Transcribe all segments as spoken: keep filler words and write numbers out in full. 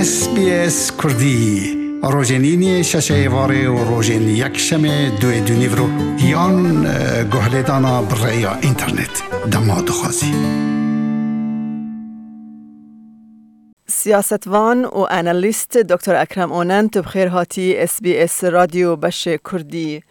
S B S Kurdî, rojên îniyê şeşê êvarê û rojên yekşemê duê dûnîvro yan, e, guhlêdana bi rêya înternet. Dema dixwazî. Siyasetvan û analîst Doktor Ekrem Onent, bi xêr hatî S B S Radyo Beşê Kurdî.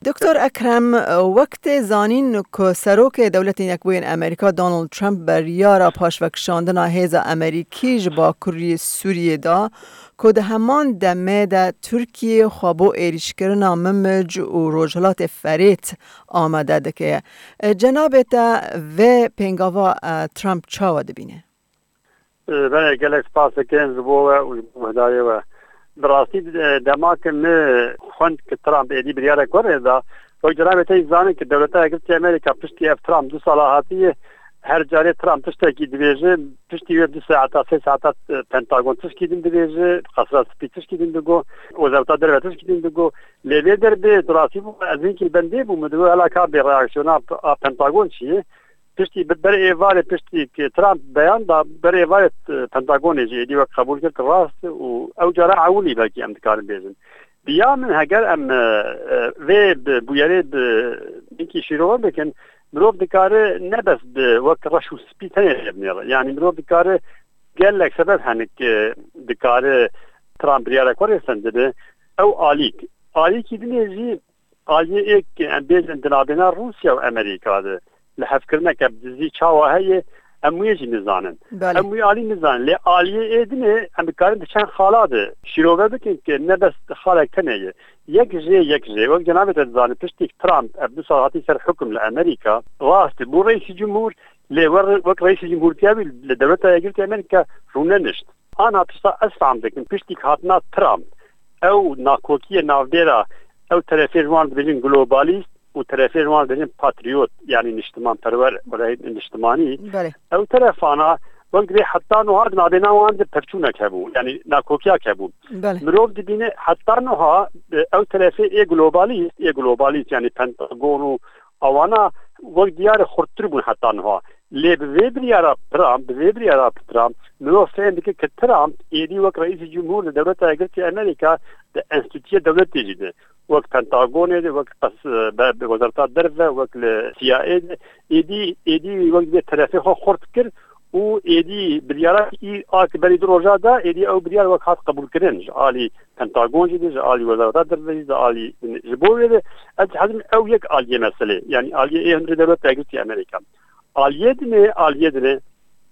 Doktor Ekrem, wek tê zanîn ku Serokê Dewletên Yekbûyên Amerîka Donald Trump beryara paşvekişandina hêza Amerîkî ji Bakurî Sûriyê da, ku di heman demê de Tirkiye xwe bo êrîşkirina Mimic û Rojhilatê Ferêt amade dike. Cenabê te vê pêngava, e, Trump çawa dibîne? Belê, gelek spas dikim ji bo we û ji bo guhdarê we. Bi rastî, e, dema ku min xwend ku Trump êdî biryarek werê da, wek cenabê te jî zanin ku Dewleta Yekgirtî Amerîka piştî ev Trump du sala hatiye, her carê Trump tiştekî dibêje, piştî wê du saeta, sê saeta, e, Pentagon tişkî din dibêje, Qesra Spî tişkî din digo, Wezareta Derve tişkî din digo. Lê vê derbê, bi rastî bû, ez hinkî li bendê bûm, min digot, hela ka bê reaksiyona a Pentagon çi ye? Piştî bi-, berê êvarê, piştî ku Trump beyan da, berê êvarê, e, Pentagonê jî êdî wek qebûl kir ku rast û ew cara ewilî belkî em dikarin bêjin. Bi ya min heger em, e, e, vê bi bûyerê bi hinkî şîrove bikin, mirov dikare ne bes bi wek reş û spî tenê lê binêre. Yanî mirov dikare gelek sebeb hene ku dikare Trump biryarek werê sendibe. Ew alîk. Alîkî dinê jî aliyê êk em bêjin di navbêna Rûsya û Amerîka de li hevkirineke bi dizî çawa heye, em wê jî nizanin. Belê. Em wî alî nizanin. Lê aliyê ê dinê em dikarin di çend xala de şîrove bikin ku ne bes xalek tenê ye. Yek jê, yek jê. Wek cenabê te dizanin, piştî Trump ev du sal hatî ser hukum li Amerîka, rast bû reîsî cumhur, lê wer-, wek reîsî cumhurtiya wî li Dewleta Yekgirtî Amerîka rûnenişt. Ana tişta ez fam dikim, piştî hatina Trump, ew nakokiyê navbêra, ew terefê ji wan dibêjin globalîst û terefê ji wan dibêjin patriyot, yanî niştimanperwer, were niştimanî. Belê. Ew terefana, wek dibê heta nuha di navbêna wan de pevçûnek hebû, yanî nakokiyek hebû. Belê. Mirov dibîne heta nuha, e, ew terefê ê globalîst, ê globalîst, yanî Pentagon û ewana wek diyar e xurttir bûn heta nuha. Lê bi vê biryara Trump, bi vê biryara Trump, mirov fêm dike ku Trump êdî wek reîsî cumhur li Dewleta Yekgirtî Amerîka di enstîtûyê dewletê jî de, wek Pentagonê de, wek qes-, be-, be-, Wezareta Derve, wek li C I A de, êdî, êdî wek vê terefê xwe xurt kir û êdî biryara î a ki berî du roja da, êdî ew biryar wek hat qebûlkirin ji alî Pentagon jî de, ji alî Wezareta Derve jî, ji alî, ji bo wê de ez dixwazim ew yek aliyê meselê, yanî aliyê ê hundirê Dewleta Yekgirtî Amerîka. Aliyê dinê, aliyê dinê,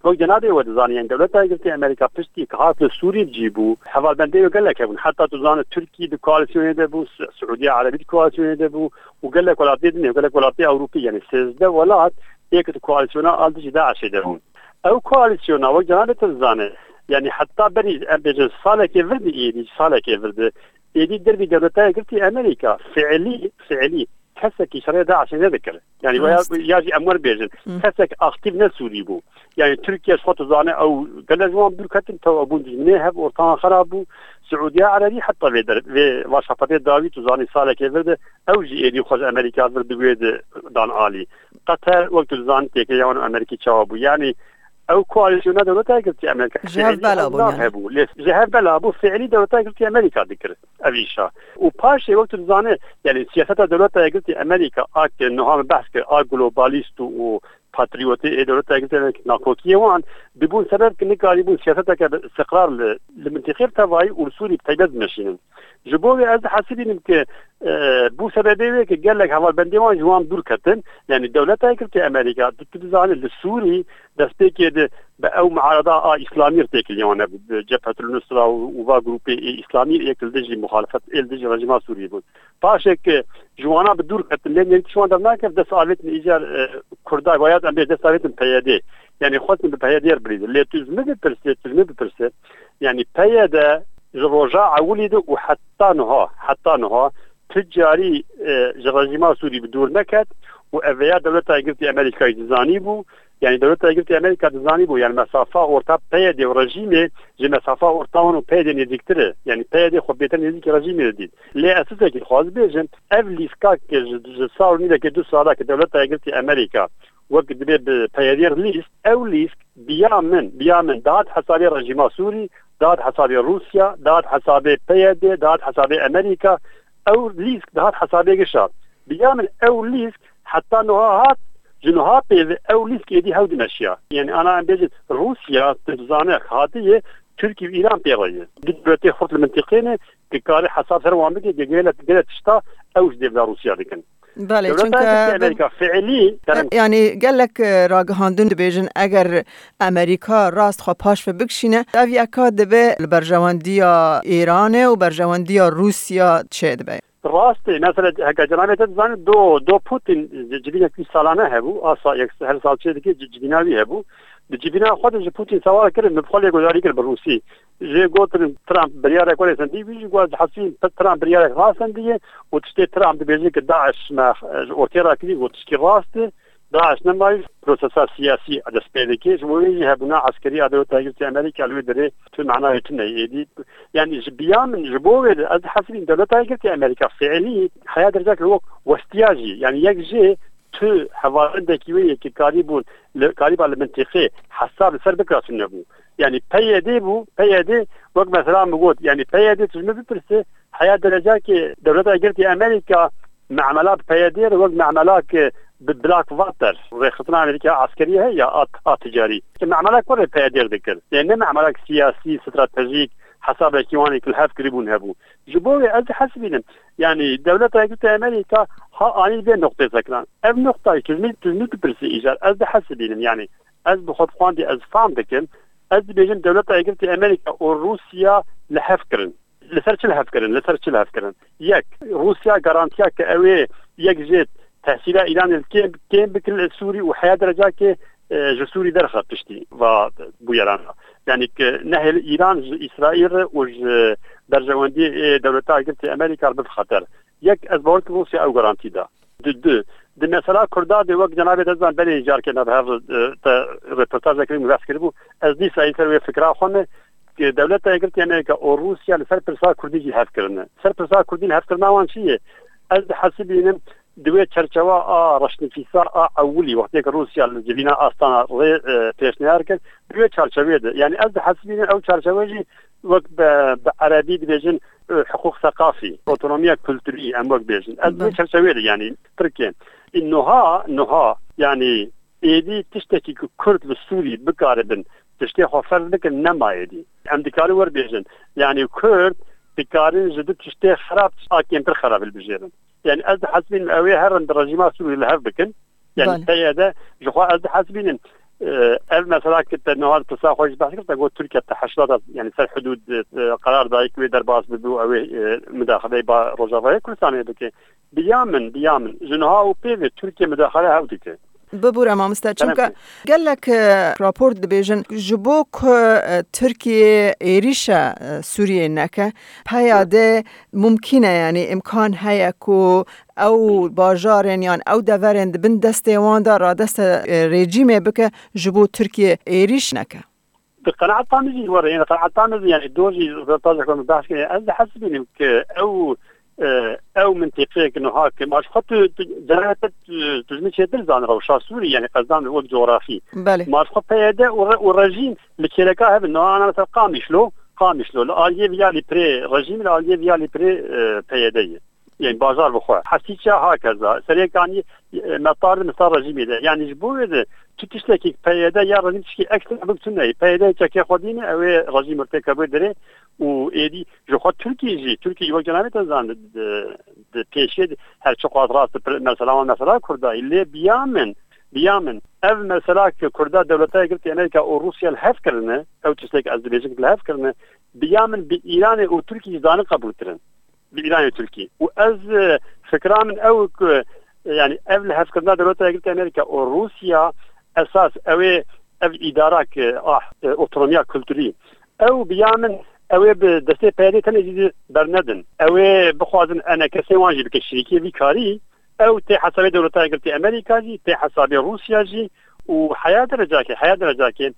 wek cenabê we dizanî, yanî Dewleta Yekgirtî Amerîka piştî ku hat li Sûrî bi cî bû, hevalbendê wê gelek hebûn. Heta tu zanî Tirkî di koalîsyonê de bû, Su-, Siûdiya Erebî di koalîsyonê de bû û gelek welatê dinê, gelek welatê Ewropî, yanî sêzdeh welat êk di koalîsyona al dijî DAIŞê de bûn. Ew koalîsyona, wek cenabê te dizane, yanî heta berî, em bêjin salekê vir di êdî, salekê vir di êdî derbî Dewleta Yekgirtî Amerîka fiilî, fiilî kesekî şerê DAIŞê nedikir. Yanî ya, rast, ya jî em wer bêjin, hı, kesek aktîf ne Sûrî bû. Yanî Tirkiye ji xwe dizane ew gelek ji wan dûr ketin, tew bûn dijminê hev ortaxan xerab bû. Siûdiya Erebî heta vê der-, vê va şafetê dawî tu zanî salekê vir de ew jî êdî xwe ji Amerîka vir di wê de dan alî. Qeter, wek tu dizanî, têkiliya wan û Amerîkî çawa bû. Yanî ew koalîsyona Dewleta Yekgirtî Amerîka ji hev bela bû, yanî hebû. Lê ji hev bela bû, fiilî Dewleta Yekgirtî Amerîka dikir ev îşa. Û paşê wek tu dizanî, yanî siyaseta Dewleta Yekgirtî Amerîka a ke niha min behs kir, a globalîst û, û patriyotê ê Dewleta Yekgirtî Amerîka, nakokiyê wan dibûn sebeb ki nikarîbûn siyaseteke bi istiqrar li, li mintîqê bi tevayî û li Sûrî bi taybet bimeşînin. Ji bo wê ez dihesibînim ki, e, bû sebebê wê ki gelek hevalbendê wan ji wan dûr ketin. Yanî Dewleta Yekgirtî Amerîka, tu, tu dizanî li Sûrî destpêkê de bi ew muarada a îslamî re têkiliya wan hebû, bi Cephetul Nusra û, û va grûpê ê îslamî ê ki li dijî muxalefet, ê li dijî rejîma Sûriyê bûn. Paşê ki ji wana bi dûr ketin, lê nêrî tişt wan dernakeve, dest avêtin îcar, e, Kurda, waya em bê dest avêtin P Y D. Yanî xwestin bi P Y D re bilîzin. Lê tu ji min bipirsê, tu ji min bipirsê. Yanî P Y D ji roja ewilî de û heta niha, heta niha tu carî, e, ji rejîma Sûrî bi dûr neket û ev vêya Dewleta Yekgirtî Amerîkayê dizanî bû. Yanî Dewleta Yekgirtî Amerîka dizanî bû, yanî mesafa orta P Y D û rejîmê ji mesafa orta wan û P Y D nêzîktir e. Yanî P Y D xwe bêtir nêzîkî rejîmê didît. Lê ez tiştekî dixwaz bêjim, ev lîstka ki ji, ji sal û nîvekê du sala ki Dewleta Yekgirtî Amerîka wek dibê bi P Y D re lîst, ew lîst bi ya min, bi ya min dihat hesabê rejîma Sûrî dihat hesabê Rûsya, dihat hesabê P Y D, dihat hesabê Amerîka. Ew lîsk dihat hesabê gişa. Bi ya min ew lîsk heta niha hat, ji niha pê ve ew lîsk êdî hew dimeşiya. Yani ana em bêjin Rûsya, tu dizane hatiye, Tirkî û Îran pê re ye. Di dewletê xurt li mintiqê ne, ki kare hesab ser wan bike, ki gele, gele tişta ew ji dêvla Rûsya dikin. Belê, Dewleta çunke Yekî bi- Amerîka fiilî, kerem. Yani gelek, e, ragihandin dibêjin, eger Amerîka rast xwe paş ve bikişîne, ev yeka dibe li berjewendiya Îranê û berjewendiya Rûsya çê dibe. Rast e, mesela heke cenabê te dizanî, do, do Putin civînek wî salane hebû, a sa-, yek, her sal çê dike ci-, civîna wî hebû. Di civîna xwe de ji Putin sewal kirin, min bi xwe lê guhdarî kir bi Rûsî. Jê gotin Trump biryarek were sendî, wî jî got, "Hesî Trump biryarek rasendiye û tiştê Trump dibêje ki DAIŞ me, e, ji ortê rakirî, got tişkî rast e. DAIŞ nemayî prosesa siyasî dest pê dike. Ji bo wê jî hebûna eskerî a Dewleta Yekgirtî Amerîka li wê derê tu manayê tune êdî." Yani ji biya min, ji bo wê de ez dihesibînim Dewleta Yekgirtî Amerîka fiilî heya derecek wek westiya jî. Yani yek jê tu hevalindekî wê yê ki karîbûn li, karîba li mintîqê hesab li ser bikira tune bû. Yani P Y D bû, P Y D wek mesela min got, yani P Y D tu ji min bipirse, heya derecakê Dewleta Yekgirtî Amerîka memela bi P Y D re wek memelak bi Blackwater, rêxistina Amerîka eskerî heye ya a, a ticarî. Ki memelak were P Y D re dikir. Yani ne memelak siyasî, stratejîk, hesabekî wan ê ki li hev kiribûn hebû. Ji bo wê ez dihesibînim, yani Dewleta Yekgirtî Amerîka ha anî vê noqtê sekiran. Ev noqtayê tu ji min, tu ji min dipirsî îcar, ez dihesibînim, yani ez bi xwe bi xwendî ez fam dikim, ez dibêjim Dewleta Yekgirtî Amerîka û Rûsya li hev kirin. Li ser çi li hev kirin? Li ser çi li hev kirin? Yek, Rûsya garantiya ke ew ê yek jê tehsîla Îranê li kêm, kêm bikin li Sûrî û heya derecakê, e, ji Sûrî derxe piştî va bûyeran. Yani ki nehêl Îran ji Îsraîl re û ji berjewendiyê ê Dewleta Yekgirtî Amerîka re bibe xeter. Yek, ez bawer dikim Rûsya ew garantî da. Di, di, di mesela Kurda de wek cenabê te zan belê carke me bi hev, e, te reportajekê min behs kiribû. Ez dîsa yê ser wê fikra xwe me, ki Dewleta Yekgirtî Amerîka û Rûsya li ser pirsa Kurdî jî hev kirine. Ser pirsa Kurdî li hev kirina wan çi ye? Ez dihesibînim di wê çerçewa a reşnivîsa a ewilî, wextê ki Rûsya li civîna Astana rê, e, pêşniyar kir, di wê çarçewê de. Yani ez dihesibînim ew çarçewe jî wek bi, bi erebî dibêjin, e, hiqûq seqafî, otonomiya kulturî em wek bêjin. Ez di wê Belê. çarçewê de yani Tirkiye. Ê, niha, niha yani êdî tiştekî ku Kurd li Sûrî bikaribin tiştê xwe ferz bikin nema êdî. Em dikarin werbêjin. Yani Kurd dikarin ji du tiştê xerab a kêmtir xerab hilbijêrin. Yani ez dihesibînim ew ê herin di rejîma Sûrî li hev bikin. Yani Belê. P Y D ji xwe ez dihesibînim, e, ev mesela ki te niha di pirsa xwe jî behs kir, te got Tirkiye te heştata, yani ser hudûd, e, qerar dayik wê derbas bibe û ew ê, e, mudaxileyê ba Rojavayê Kurdistanê bike. Bi ya min, bi ya min, ji niha û pê ve Tirkiye mudaxile hew dike. Bibûre mamoste, Kerem çunke ki. gelek, e, rapor dibêjin, ji bo ku, e, Tirkiye êrîşa, e, Sûriyê neke, P Y D mumkîn e, yani îmkan heye ku ew bajarên yan ew deverên di bin destê wan de radeste, e, rejîmê bike, ji bo Tirkiye êrîş neke. Di qenaeta min jî were, yani qenaeta min jî, yani do jî röportajek min behs kiriye. Ez dihesibînim ki ew, e, ew mintîqeyek niha ki ma ji xwe tu, tu, cenabê te tu, tu ji min çêtir zanî rewşa Sûrî, yani qezdan wek cografî. Belê. Ma ji xwe P Y D û re-, û rejîm li kêleka hev in. Niha ana mesela Qamişlo, Qamişlo li aliyê viya lî pirê rejîm, li aliyê viya lî pirê, e, P Y D ye. Yani bajar bi xwe. Hesîça hakeza. Serê Kaniyê, e, me tar di misal rejîmê de. Yani ji bo wê de tu tiştekî P Y D ya rejîm tişkî ekstra bik tune. P Y D çekê xwe dîne, ew ê rejîm têke bê derê û êdî ji xwe Tirkî jî, Tirkî jî wek cenabê te zan di, di, di pêşê de her çi qas rast di pir-, mesela wan mesela Kurda. Lê biya min, biya min, ev mesela ki Kurda Dewleta Yekgirtî Amerîka û Rûsya li hev kirine, ew tiştek ez dibêjim ki li hev kirine, biya min bi Îranê û Tirkî jî zanin qebûltir in. Bi Îranê Tirkî. Û ez, e, fikra min ew ku, e, yani ev lihevkirina Dewleta Yekgirtî Amerîka û Rûsya esas ew ê ev îdara ke, ah, e, otonomiya kulturî. Ew bi ya min ew ê bi destê P Y D tenê jî bernedin. Ew ê bixwazin enekesê wan jî bike şirîkê vî karî. Ew tê hesabê Dewleta Yekgirtî Amerîka jî, tê hesabê Rûsya jî û heya derecakê, heya derecakê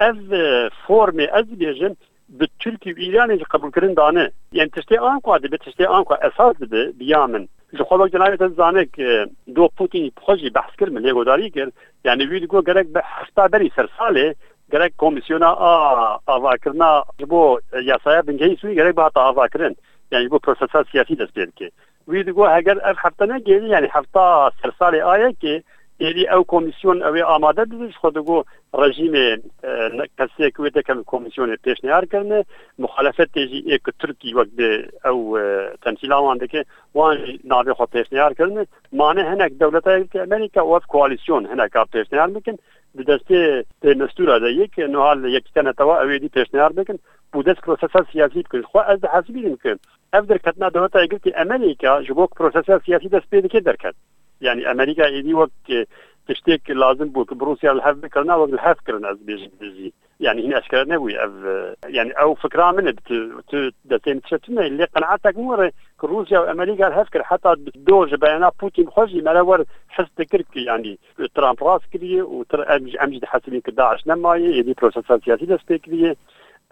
ev, e, formê ez dibêjim, bi Tirkî û Îranê jî qebûlkirin dane. Yani tiştê anqua dibe, tiştê anqua esas dibe, biya min. Ji xwe wek cenabê te zane ki do Putin bi xwe jî behs kir, min lê godarî kir. Yani wî digot gerek bi hefta berî ser salê Gerek komîsyona a avakirina ji bo, e, yasaya bingehî Sûrî gerek bihata avakirin. Yani ji bo prosesa siyasî dest pê dike. Wî digot heger ev hefte negêrî, yani hefta sersalê a yekê, êdî ew komîsyon ew ê amade bibin, ji xwe digot rejîmê, e, ne-, kesê ku wê têkevin komîsyonê pêşniyar kirine, muxalefetê jî ê ku Tirkî wek bi ew, e, temsîla wan dike, wan jî navê xwe pêşniyar kirine. Mane hinek dewleta Yekîtî Amerîka û ev koalîsyon hineka pêşniyar bikin. Di destê pêmestûra de yek, niha li Yekîtiya Netewa ew êdî pêşniyar bikin û dest prosesa siyasî bikin. Ji xwe ez dihesibînim ku ev derketina dewleta Yekgirtî Amerîka ji bo ku prosesa siyasî dest pê dike derket. Yani Amerîka êdî wek, e, tiştêk lazim bû ku bi Rûsya li hev bikirina, wek li hev kirin, ez dibêjim bi dizî. Yani hîn eşkere nebûye ev, e, yani ew fikra min e, tu, tu destê min tişe tune, lê qenaetek min were ku Rûsya û Amerîka li hev kir, heta do ji beyana Putin xwe jî mere wer his dikir ku yani Trump rast kiriye û Tr-, em, em jî dihesibîn ku DAIŞ nemaye, êdî prosesa siyasî dest pê kiriye.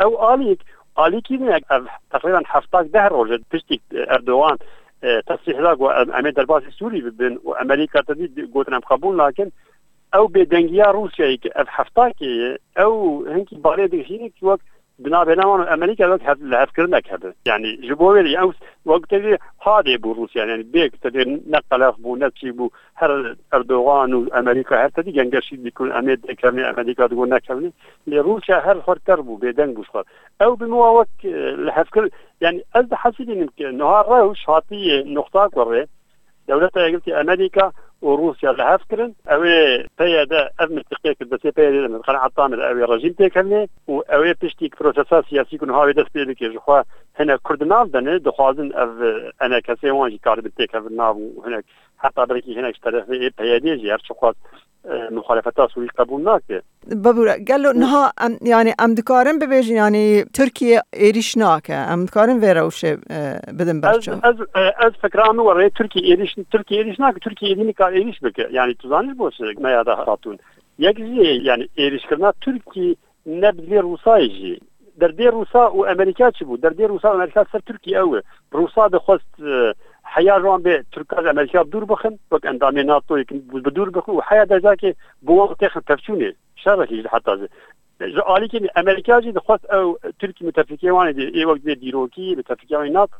Ew alîk, alîkî ne, ev teqrîben hefta deh roj e piştî Erdogan, e, tesrîh da ku em, em ê derbasî Sûrî bibin û Amerîka tevî gotin em qebûl nakin. Ew bêdengiya Rûsyayê ku ev heftakê ye, ew hinkî barê dikişîne ku wek di navbêna wan û Amerîka wek hev-, lihevkirinek hebe. Yani ji bo wê de ew wek tevî hadê bû Rûsya, yani bê ku tevî ne qelef bû, ne çî bû, her Erdogan û Amerîka her tevî gengeşî dikin, em ê dêkevnê, Amerîka digot nekevnê. Lê Rûsya her xwe ker bû, bêdeng bû ji xwe. Ew bi min wa wek, e, lihevkir, yani ez dihesibînim ku niha rewş hatiye noqta ku rê, Dewleta Yekgirtî Amerîka û Rûsya li hev kirin. Ew ê P Y D, ev mintiqê ku destê P Y D de, min qenaeta min ew ê rejîm têkevnê û ew ê piştî ku prosesa siyasî ku niha wê dest pê dike, ji xwe hinek Kurd nav de ne, dixwazin ev, e, enekesê wan jî karibin têkevin nav û hinek, heta belkî hinek ji terefê ê P Y D jî her çiqas, e, muxalefeta Sûrî qebûl nake. Bibûre, gelo niha em, yani em dikarin bibêjin, yani Tirkiye êrîş nake. Em dikarin vê rewşê, e, bidin Ez, berçav. ez, e, ez fikra min were Tirkiye êrîş, Tirkiye êrîş nake, Tirkiye êdî nikar êrîş bike. Yani tu zanî ji bo çi me ya da hatûn. Yek jî yani êrîşkirina Tirkiye ne bi dilê Rûsayê jî. Derdê Rûsa û Amerîka çi bû? Derdê Rûsa û Amerîka ser Tirkiye ew e. Rûsa dixwest, e, heya ji wan bê Tirka ji Amerîka bi dûr bixin, wek endamê NATOyê bi, bi dûr bixin û heya dercakê bi wan têxin pevçûnê. Şerekî ji heta ji, ji alîkî Amerîka jî dixwest ew Tirkî mutefikê wan ê, ê wek divê dîrokî, mutefikê wan ê NATO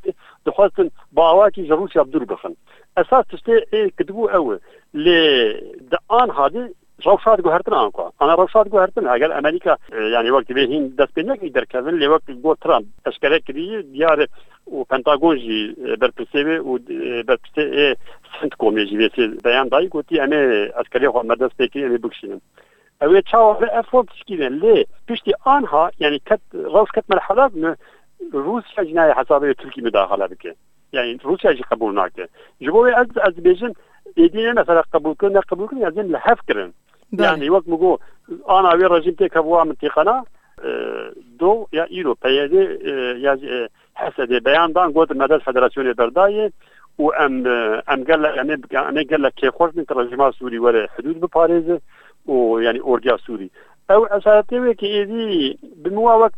dixwestin bi awakî ji Rûsya bi dûr bixin. Esas tiştê ê kidibû ew e. Lê di anha de rewşa diguhertin anka. Ana rewşa diguhertin. Eger Amerîka, e, yani wek divê hîn dest pê nekirî derkevin, lê wek got Trump eşkere kiriye, diyar e, û Pentagon jî, e, berpirsê wê û, e, berpirsê ê CENTCOMê jî vê sê beyan dayî, gotî em ê eskerê xwe me dest pê kirî, em ê bikişînin. Ew ê çawa be ev xwe pişkîne. Lê piştî anha, yani ket, rewş ket merhela me Rûsya jî nayê hesabê Tirkî mudaxale bike. Yani Rûsya jî qebûl nake. Ji bo wê ez, ez dibêjim, êdî ne mesela qebûl kirin, ne qebûl kirin, ez ê li hev kirin. Belê. Yani wek min got, ana wê rejîm têkeve wa mintiqana, e, do ya îro P Y D, e, ya jî, e, H S D beyan dan, got me dest federasyonê berdayê û em, e, em gelek, em ê, em ê gelek kêfxweş bin ku rejîma Sûrî were hidûd biparêze û yani ordiya Sûrî. Ew esaretê wê ki êdî bi min wa wek,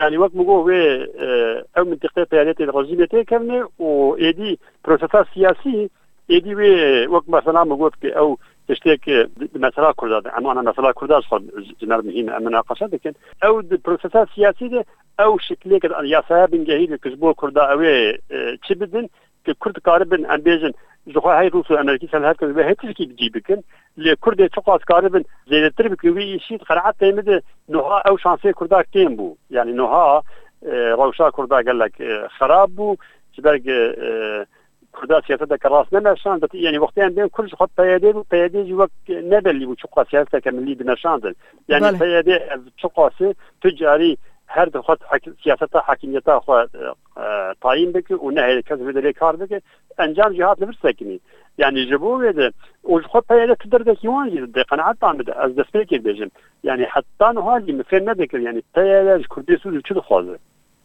yani wek min got wê, e, ew mintiqê P Y D tê rejîmê têkevnê û êdî prosesa siyasî êdî wê wek mesela min got ki ew tiştê ki di, di mesela Kurda de, em ana mesela Kurda ji xwe ji me re muhîm e, em minaqeşe dikin. Ew di prosesa siyasî de ew şiklê ki yasaya bingehî de ki ji bo Kurda ew ê, e, çi bidin, ki Kurd karibin, em bêjin, ji xwe hey Rûs û Amerîkî ser hev kin, wê hey tişkî bi cî bikin. Lê Kurdê çiqas karibin zêdetir bikin wî îşî, di qenaetê min de niha ew şansê Kurda kêm bû. Yani niha, e, rewşa Kurda gelek, e, xerab bû. Ji ber, e, Kurda siyaseteke rast nemeşand, yani wextê em bên Kurd ji xwe P Y D bû, P Y D jî wek nebellî bû çiqas siyaseteke milî dimeşandin. Yani Belê. P Y D ev çiqas e, tu carî her dixwest hek-, siyaseta hakimiyeta xwe, e, e, tayîn bike û nehêle kes vê derê kar bike, encam jî hat li vir sekinî. Yani ji bo wê de û ji xwe P Y D tu derdekî wan jî dide, qenaeta min de, ez destpêkê dibêjim. Yani heta niha jî min fêm nedikir, yani P Y D ji Kurdê Sûrî çi dixwaze?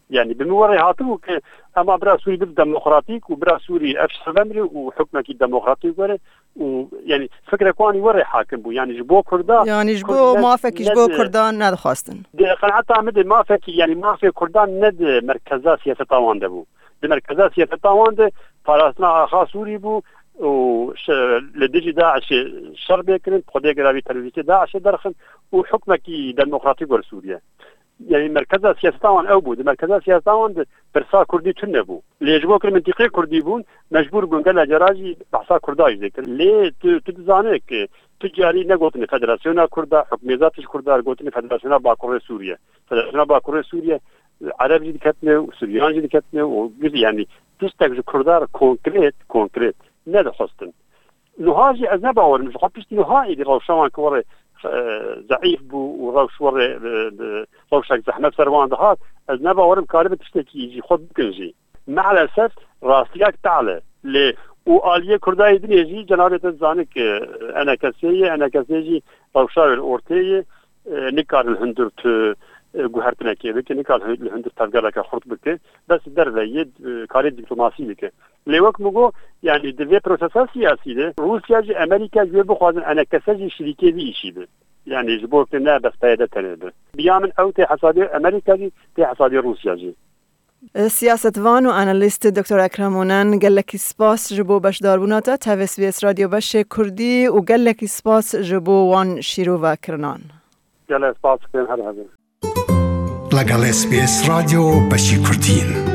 Yani bi min werê hatibû ki ema bira Sûrî bibe demokratîk û bira Sûrî ev şer vemrê û hukmekî demokratîk were û yani fikrek wan werê hakim bû. Yani ji bo Kurda, Yani ji Kurd bo ne, mafekî ji ne bo di, Kurdan nedixwastin. Di qenaeta min de mafekî, yani mafê Kurdan ne di merkeza siyaseta wan de bû. Di merkeza siyaseta wan de parastina axa Sûrî bû, û şe-, li dijî DAIŞê şer bê kirin, xwedê gera vî terorîstê DAIŞê derxin û hukmekî demokratîk wer Sûriye. Yanî merkeza siyaseta wan ew bû. Di merkeza siyaseta wan de pirsa kurdî tune bû. Lê ji bo ku mintîqê kurdî bûn, mecbûr bûn gelek cara jî behsa kurda jî dikir. Lê tu, tu dizane ku tu carî negotine Federasyona Kurda, hukmêza tij Kurda, gotine Federasyona Bakurê Sûriye. Federasyona Bakurê Sûriye, Ereb jî diketine û Suryan jî diketine û gir-, yanî tiştek ji Kurda re konkret, konkret nedixwestin. Niha jî ez ne bawerim, ji xwe piştî niha êdî rewşa wan ki werê, e, zeîf bû û rewş werê, e, e, rewşek zehmet ser wan dihat, ez ne bawerim karibe tiştekî jî xwe bikin jî. Meelesef rastiyek tehl e. Lê û aliyê Kurdayê dinê jî cenabê te dizane ki E N K S ye, E N K S jî rewşa wê li ortê ye, e, nikare li hundir tu, e, guhertinekê bike, nikare li hundir tevgereke xurt bike, bes derve ye, e, karê dîplomasî bike. Lê wek min got, yanî di vê prosesa siyasî de Rûsya jî, Amerîka jî wê bixwazin E N K S jî şirîkê vî îşî be. Yanî ji bo ku ne bes P Y D tenê be. Bi ya min ew tê hesabê Amerîka jî, tê hesabê Rûsya jî. Siyasetvan û analîst Doktor Ekrem Onen, gelekî spas ji bo beşdarbûna te tevê S B S Radyo Beşê Kurdî û gelekî spas ji bo wan şîrovekirinan. Gelek spas dikim, her hevin. لەگەڵ S B S رادیۆ بەشی کوردین.